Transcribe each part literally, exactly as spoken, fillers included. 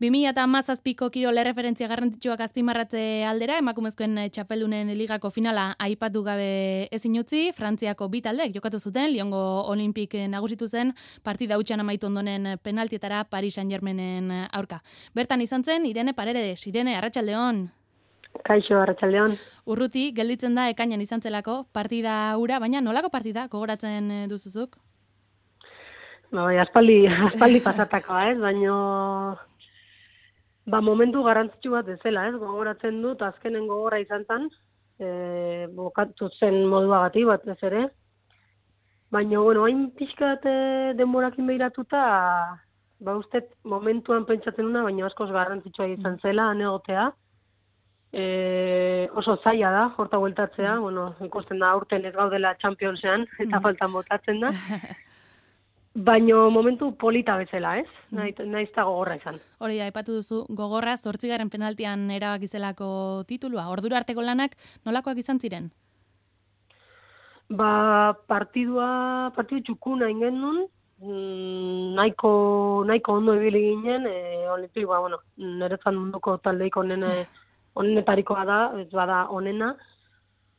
bi mila hamazazpiko kirol erreferentzia garrantzitsuak azpimarratze aldera, emakumezkoen txapeldunen ligako finala aipatu gabe ezin utzi, Frantziako bi taldeek jokatu zuten, Lyongo Olimpik nagusitu zen, partida hutsan amaitu ondoren penaltietara Paris Saint-Germainen aurka. Bertan izan zen, Irene Paredes, Irene, arratsaldeon. Kaixo, arratsaldeon. Urruti, gelditzen da ekainan izan zelako partida hura, baina nolako partida gogoratzen duzuzuk? Ba, bai, aspaldi, aspaldi pasatakoa, ez? Baina ba, momentu garrantzitsu bat ezela, ez? Gogoratzen dut, azkenen gogorra izan zen, e, bokatu zen moduagatik bat ez ere. Baina, bueno, hain pixkat denborakin behiratuta, ba, uste momentuan pentsatzen una, baina askoz garrantzitsua izan zela, anegotea. E, oso zaila da, horta bueltatzea, bueno, ikusten da aurten ez gaudela Championsean, eta faltan botatzen da. Baino momentu polita bezala, ez? Naiz, naiz da gogorra izan. Hori da, aipatu duzu, gogorra zortzigaren penaltian erabakizelako titulua. Ordura arteko lanak nolakoak izan ziren? Ba, partidua, partidu txukuna ingen nun, mm, nahiko, nahiko ondo ibili ginen, e, Olimpik, ba, bueno, niretzat munduko taldeik onene, onenetarikoa da, ez bada onena,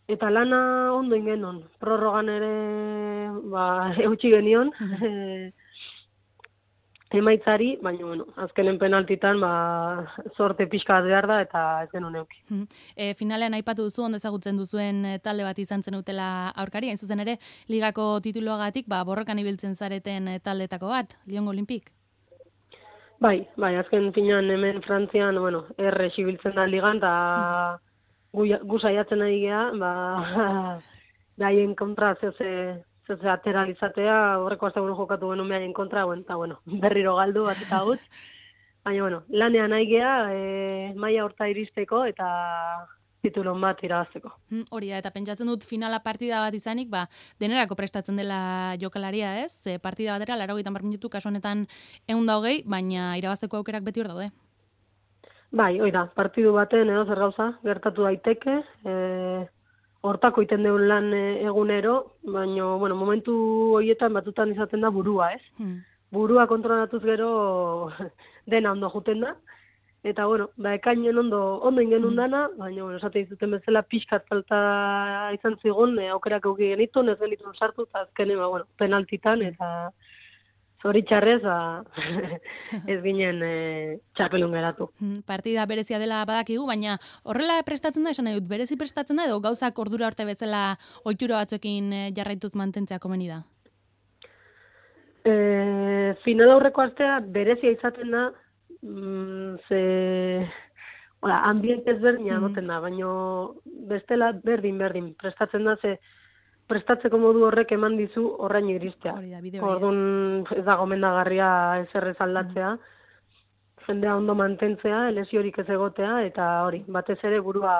eta lana ondo ingenon. Prorrogan ere ba, eutxi genion e, emaitzari, baina bueno, azkenen penaltitan ba, zorte pixka behar da eta ez genuen euki. E, finalean aipatu duzu, ondo ezagutzen duzuen talde bat izan zen utela aurkari, hain zuzen ere, ligako tituluagatik ba, borrokan ibiltzen zareten taldetako bat, Lyongo Olimpik. Bai, bai, azken finan hemen Frantzian, bueno, erre xibiltzen da ligan, eta gu saiatzen ari geha, ba, daien kontra zeze, zeze ateralizatea, horreko azte bueno jokatu genuen behaien kontra, bueno, eta bueno, berriro galdu bat eta gut. Baina, bueno, lanean ari geha, e, maila horta iristeko, eta titulon bat irabazteko. Hori da, eta pentsatzen dut finala partida bat izanik, ba, denerako prestatzen dela jokalaria, ez? Ze partida batera, laurogeita hamar minutu, kasu honetan ehun eta hogei, baina irabazteko aukerak beti hor daude. Bai, hoi da, partidu baten edo zer gauza, gertatu daiteke, e, hortako iten deun lan egunero, baina, bueno, momentu horietan batutan izaten da burua, ez? Hmm. Burua kontrolatuz gero dena ondo juten da, eta, bueno, ba, ekainen ondo, ondo ingen dana, baina, bueno, esate izuten bezala pixkat falta izan zigun, e, aukerak euki genitu, ez genitun sartu, eta azkene, ba, bueno, penaltitan, eta zoritxarrez, ba, ez ginen e, txapelun geratu. Partida berezia dela badakigu, baina horrela prestatzen da, esan nahi dut, berezi prestatzen da, edo gauzak ordura arte bezala ohitura batzuekin jarraituz mantentzea komeni da? E, final aurreko astea berezia izaten da, mm, ze hola, ambiente ezberdina egoten da, baina bestela berdin-berdin prestatzen da, ze prestatzeko modu horrek eman dizu horraino iristea. Orduan ez da gomendagarria ezerrez aldatzea, jendea ondo mantentzea, lesiorik ez egotea, eta hori, batez ere burua,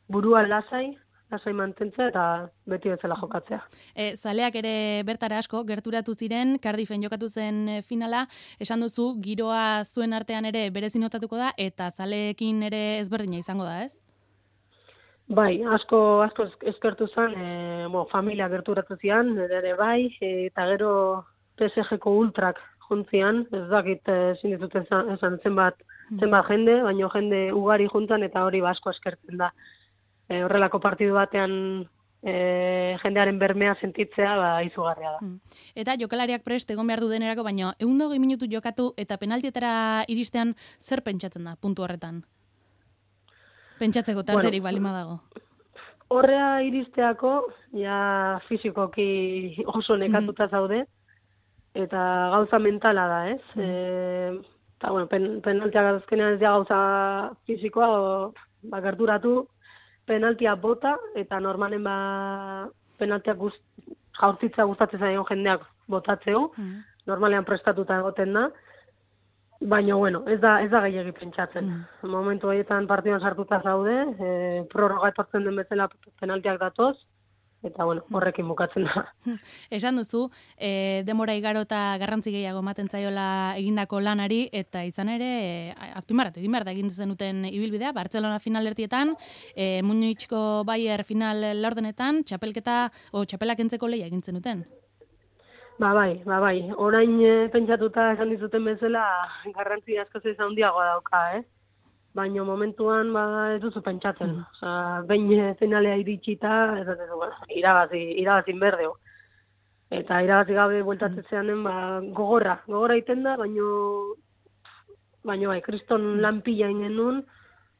burua lasai, lasai mantentzea eta beti bezala jokatzea. E, zaleak ere bertara asko, gerturatu ziren, Cardieffen jokatu zen finala, esan duzu, giroa zuen artean ere berezi notatuko da, eta zaleekin ere ezberdina izango da, ez? Bai, asko asko eskertu zen, e, bo, familia gerturatu zian, ere bai, e, eta gero P S G-ko ultrak juntzian, ez dakit ezin ditut esan zenbat, zenbat jende, baina jende ugari juntan eta hori asko eskertzen da. E, horrelako partidu batean e, jendearen bermea sentitzea ba, izugarria da. Eta jokalariak prest egon behar du denerako, baina ehun eta hogei minutu jokatu eta penaltietara iristean zer pentsatzen da puntu horretan? Pentsatzeko tarterik bueno, balima dago. Horrea iristeako, ja fizikoki oso nekatuta zaude, eta gauza mentala da, ez? Mm. E, eta, bueno, pen, penaltiak azkenean ez da gauza fizikoa, o, ba, gerturatu, penaltia bota, eta normalen ba, penaltiak gust, jaurtitza gustatzen zaion jendeak botatzeu, mm. normalean prestatuta egoten da, baina, bueno, ez da, ez da gehiagi pentsatzen. Mm. Momentu horietan partidan sartuta zaude, e, prorroga etortzen den bezala penaltiak datoz, eta, bueno, horrekin bukatzen da. Esan duzu, e, demora igaro eta garrantzi gehiago ematen zaiola egindako lanari, eta izan ere, e, azpimarratu egin behar da egin zenuten ibilbidea, Bartzelona finalertietan, e, Munichko Bayer final laurdenetan, txapelketa, o txapelak entzeko lehia egin zenuten. Ba bai, ba bai. Orain e, pentsatuta esan dizuten bezala garrantzi askoz ez handiagoa dauka, eh? Baina momentuan ba ez duzu pentsatzen. Osea, behin finalea iritsita, ez da bueno, irabazi, irabazin berdeu. Eta irabazi gabe bueltatzeanen ba gogorra, gogorra egiten da, baino baino bai, kriston lan pila ingenun,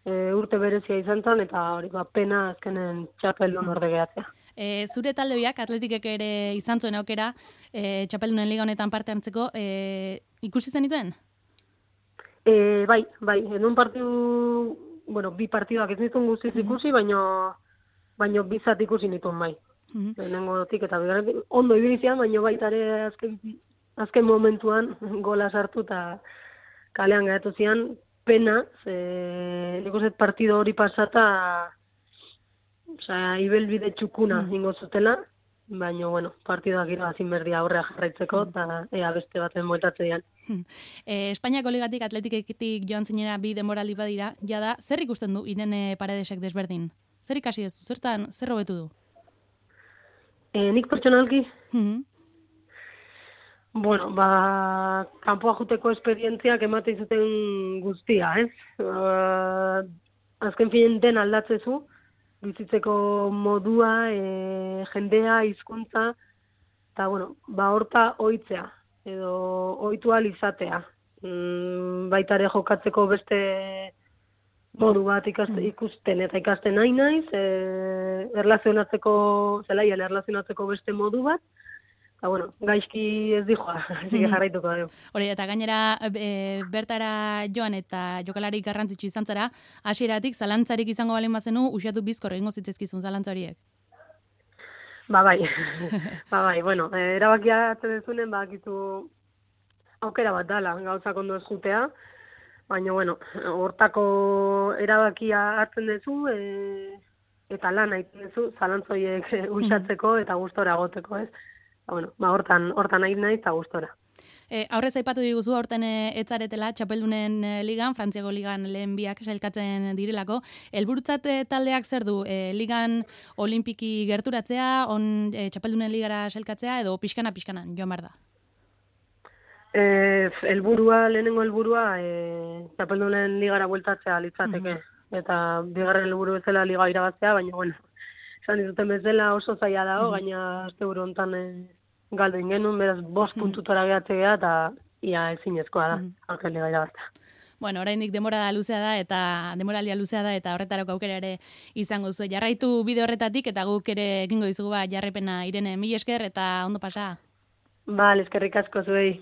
e, urte berezia izan zen, eta hori ba pena azkenen txapeldun orde gehatzea. E, zure talde biak, Atletikek ere izan zuen aukera, e, txapeldunen liga honetan parte hartzeko, e, ikusi zenituen? E, bai, bai, en un partidu, bueno, bi partiduak ez nituen guztiz ikusi, baino, baino bizat ikusi nituen bai. Mm-hmm. Lehenengotik eta bigarren, ondo ibilizian, baino baita ere azken, azken momentuan gola sartu eta kalean gaitu zian, pena, ze nik uste partido hori pasata, osea, ibelbide txukuna mm. ingo zutela, baina, bueno, partidoak irabazin berdia aurrea jarraitzeko, eta mm. ea beste baten moetatze dian. E, Espainiako ligatik Atletiketik joan zinera bi denboraldi badira, jada, zer ikusten du Irene Paredesek desberdin? Zer ikasi ez du? Zertan, zer hobetu du? E, nik pertsonalki? Mm-hmm. Bueno, ba, kanpoa juteko esperientziak emate izuten guztia, ez? Uh, azken finen den aldatzezu, bizitzeko modua, e, jendea, hizkuntza, eta, bueno, ba, horta ohitzea, edo ohitu ahal izatea. Mm, baita ere jokatzeko beste modu bat ikaste, ikusten eta ikasten nahi naiz, e, erlazionatzeko, zelaian erlazionatzeko beste modu bat, eta, bueno, gaizki ez dijoa, hasi que jarraituko dugu. Hori, eta gainera e, bertara joan eta jokalari garrantzitsu izan zara, hasieratik zalantzarik izango balen bazenu, uxatu bizkor egingo zitzezkizun zalantza horiek. Ba bai, ba bai, bueno, e, erabakia hartzen dezunen, ba, akitu aukera bat dala, gauzak ondo ez jutea, baina, bueno, hortako erabakia hartzen dezu, e, eta lan egiten dezu, zalantzoiek uxatzeko eta gustora goteko, ez? Bueno, ba, hortan, hortan nahi nahi eta gustora. E, aurrez aipatu diguzu, aurten etzaretela, txapeldunen ligan, Frantziako ligan lehen biak sailkatzen direlako. Helburutzat taldeak zer du? E, ligan olimpiki gerturatzea, on e, txapeldunen ligara sailkatzea, edo pixkana-pixkanan, joan behar da? E, helburua, lehenengo helburua, e, txapeldunen ligara bueltatzea litzateke. Mm-hmm. Eta bigarren helburu bezala liga irabaztea, baina, bueno, esan dituten bezala oso zaila dago, mm-hmm. gaina asteburu hontan e, galdu ingenun, beraz, bost mm-hmm. puntutora gehatzea, eta ia ezinezkoa da, mm-hmm. aurten liga irabaztea. Bueno, oraindik denbora da luzea da, eta denboraldia luzea da, eta horretarako aukera ere izango zu. Jarraitu bide horretatik, eta guk ere egingo dizugu ba, jarrepena Irene, mila esker, eta ondo pasa. Ba, eskerrik asko zuei.